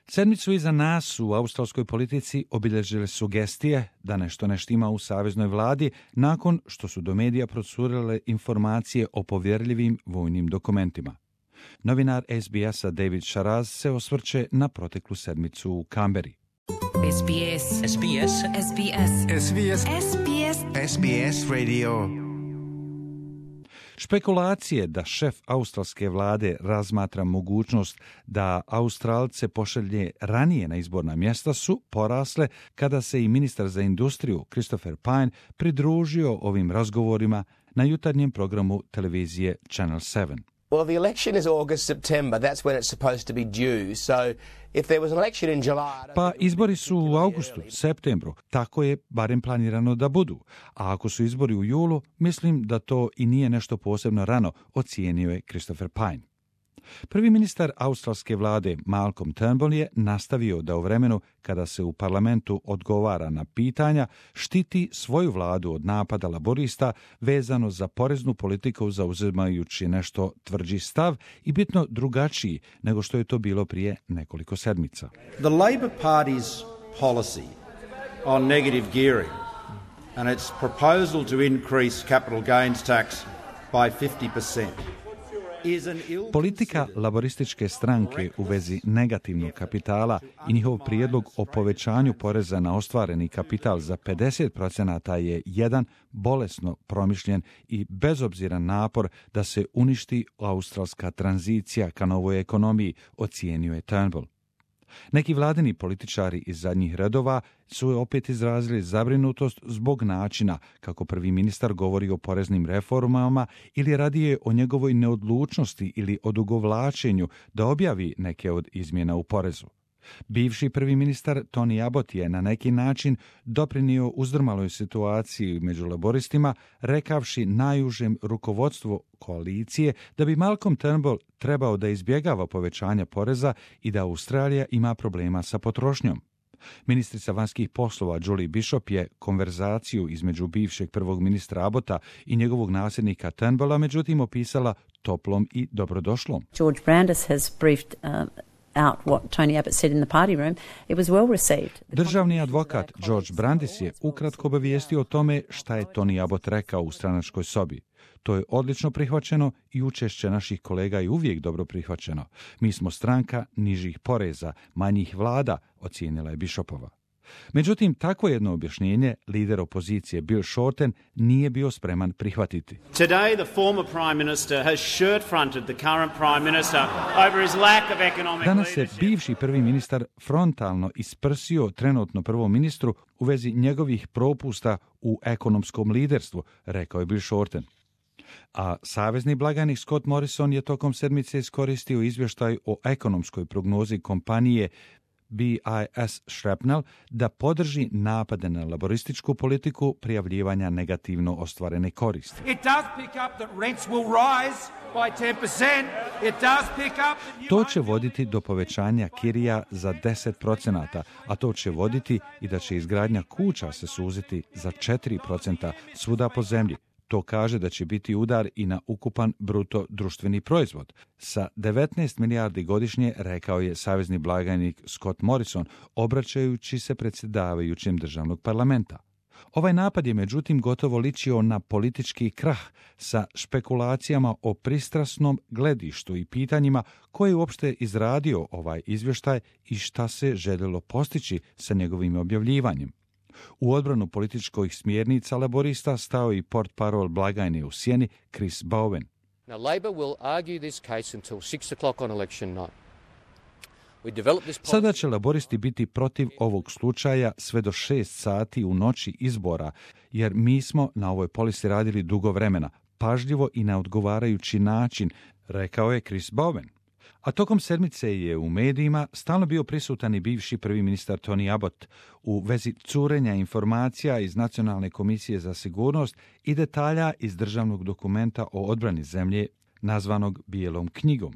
Sedmicu iza nas u australskoj politici obilježile sugestije da nešto ne štima u saveznoj vladi nakon što su do medija procurile informacije o povjerljivim vojnim dokumentima. Novinar SBS-a David Sharaz se osvrće na proteklu sedmicu u Kamberi. SBS. SBS. SBS. SBS. SBS. SBS Radio. Špekulacije da šef australske vlade razmatra mogućnost da Australce pošalje ranije na izborna mjesta su porasle kada se i ministar za industriju Christopher Pyne pridružio ovim razgovorima na jutarnjem programu televizije Channel 7. Well, the election is August, September. That's when it's supposed to be due. So if there was an election in July... Pa izbori su u augustu, septembru. Tako je barem planirano da budu. A ako su izbori u julu, mislim da to i nije nešto posebno rano, ocijenio je Christopher Pyne. Prvi ministar australske vlade Malcolm Turnbull je nastavio da u vremenu kada se u parlamentu odgovara na pitanja štiti svoju vladu od napada laborista vezano za poreznu politiku, zauzimajući nešto tvrđi stav i bitno drugačiji nego što je to bilo prije nekoliko sedmica. The Labor Party's policy on negative gearing and its proposal to increase capital gains tax by 50%. Politika laborističke stranke u vezi negativnog kapitala i njihov prijedlog o povećanju poreza na ostvareni kapital za 50% je jedan bolesno promišljen i bezobziran napor da se uništi australska tranzicija ka novoj ekonomiji, ocijenio je Turnbull. Neki vladini političari iz zadnjih redova su opet izrazili zabrinutost zbog načina kako prvi ministar govori o poreznim reformama ili radije o njegovoj neodlučnosti ili odugovlačenju da objavi neke od izmjena u porezu. Bivši prvi ministar Tony Abbott je na neki način doprinio uzdrmaloj situaciji među laboristima, rekavši najužem rukovodstvu koalicije da bi Malcolm Turnbull trebao da izbjegava povećanja poreza i da Australija ima problema sa potrošnjom. Ministrica vanjskih poslova Julie Bishop je konverzaciju između bivšeg prvog ministra Abbotta i njegovog nasljednika Turnbulla međutim opisala toplom i dobrodošlom. George Brandis has briefed out what Tony Abbott said in the party room. It was well received. Državni advokat George Brandis je ukratko obavijestio o tome šta je Tony Abbott rekao u stranačkoj sobi. To je odlično prihvaćeno i učešće naših kolega je uvijek dobro prihvaćeno. Mi smo stranka nižih poreza, manjih vlada, ocijenila je Bishopova. Međutim, takvo jedno objašnjenje lider opozicije Bill Shorten nije bio spreman prihvatiti. Today the former prime minister has shirt-fronted the current prime minister over his lack of economic Danas je leadership. bivši prvi ministar frontalno isprsio trenutno prvom ministru u vezi njegovih propusta u ekonomskom liderstvu, rekao je Bill Shorten. A savezni blagajnik Scott Morrison je tokom sedmice iskoristio izvještaj o ekonomskoj prognozi kompanije BIS Shrapnel da podrži napade na laborističku politiku prijavljivanja negativno ostvarene koristi. To će voditi do povećanja kirija za 10%, a to će voditi i da će izgradnja kuća se suziti za 4% svuda po zemlji. To kaže da će biti udar i na ukupan bruto društveni proizvod. Sa 19 milijardi godišnje, rekao je savezni blagajnik Scott Morrison, obraćajući se predsjedavajućem državnog parlamenta. Ovaj napad je međutim gotovo ličio na politički krah sa špekulacijama o pristrasnom gledištu i pitanjima koje je uopšte izradio ovaj izvještaj i šta se željelo postići sa njegovim objavljivanjem. U odbranu političkih smjernica laborista stao i portparol blagajne u sjeni Chris Bowen. Now Labor will argue this case until 6 o'clock on election night. Sada će laboristi biti protiv ovog slučaja sve do 6 sati u noći izbora, jer mi smo na ovoj polisi radili dugo vremena, pažljivo i na odgovarajući način, rekao je Chris Bowen. A tokom sedmice je u medijima stalno bio prisutan i bivši prvi ministar Tony Abbott u vezi curenja informacija iz Nacionalne komisije za sigurnost i detalja iz državnog dokumenta o odbrani zemlje nazvanog Bijelom knjigom.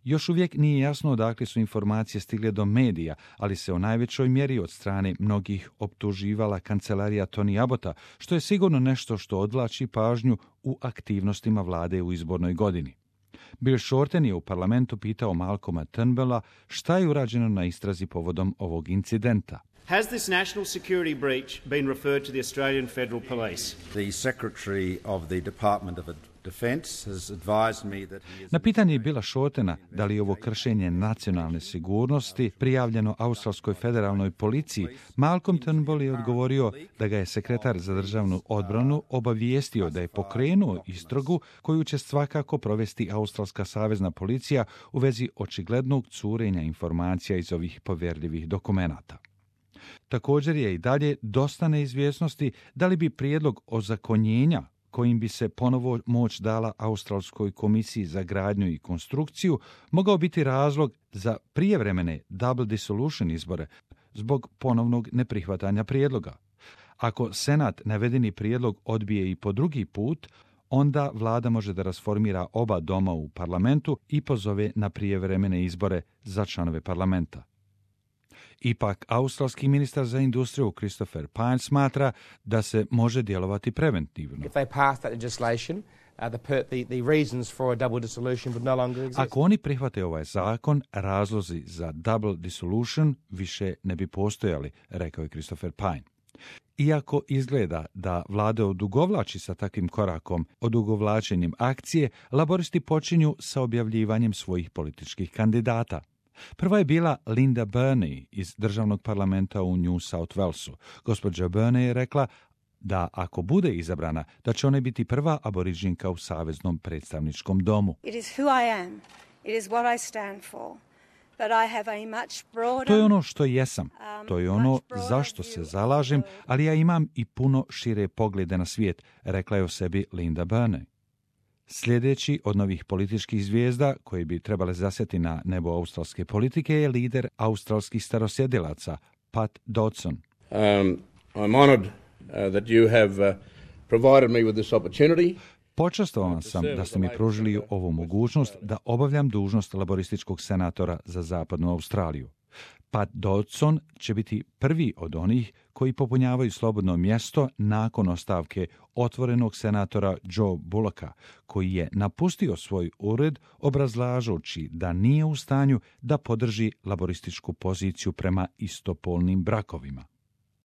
Još uvijek nije jasno odakle su informacije stigle do medija, ali se u najvećoj mjeri od strane mnogih optuživala kancelarija Tony Abbotta, što je sigurno nešto što odvlači pažnju u aktivnostima vlade u izbornoj godini. Bill Shorten je u parlamentu pitao Malcolma Turnbulla šta je urađeno na istrazi povodom ovog incidenta. Has this national security breach been referred to the Australian Federal Police? The Secretary of the Department of Defence has advised me that he is... Na pitanje Billa Shortena da li je ovo kršenje nacionalne sigurnosti prijavljeno Australskoj federalnoj policiji, Malcolm Turnbull je odgovorio da ga je sekretar za državnu odbranu obavijestio da je pokrenuo istragu koju će svakako provesti Australska savezna policija u vezi očiglednog curenja informacija iz ovih povjerljivih dokumenata. Također je i dalje dosta neizvjesnosti da li bi prijedlog ozakonjenja kojim bi se ponovo moć dala Australskoj komisiji za gradnju i konstrukciju mogao biti razlog za prijevremene double dissolution izbore zbog ponovnog neprihvatanja prijedloga. Ako Senat navedeni prijedlog odbije i po drugi put, onda vlada može da rasformira oba doma u parlamentu i pozove na prijevremene izbore za članove parlamenta. Ipak, australski ministar za industriju Christopher Pyne smatra da se može djelovati preventivno. Ako oni prihvate ovaj zakon, razlozi za double dissolution više ne bi postojali, rekao je Christopher Pyne. Iako izgleda da vlada odugovlači sa takvim korakom, odugovlačenjem akcije, laboristi počinju sa objavljivanjem svojih političkih kandidata. Prva je bila Linda Burney iz državnog parlamenta u New South Walesu. Gospođa Burney je rekla da ako bude izabrana, da će ona biti prva aboriđinka u Saveznom predstavničkom domu. It is who I am. It is what I stand for. But I have a much broader, to je ono što jesam, to je ono zašto se zalažem, ali ja imam i puno šire poglede na svijet, rekla je o sebi Linda Burney. Sljedeći od novih političkih zvijezda koji bi trebali zasjeti na nebo australske politike je lider australskih starosjedilaca, Pat Dodson. I'm honored that you have provided me with this opportunity. Počastovan sam da ste mi pružili ovu mogućnost da obavljam dužnost laborističkog senatora za zapadnu Australiju. Pat Dodson će biti prvi od onih koji popunjavaju slobodno mjesto nakon ostavke otvorenog senatora Joe Bullocka, koji je napustio svoj ured obrazlažući da nije u stanju da podrži laborističku poziciju prema istopolnim brakovima.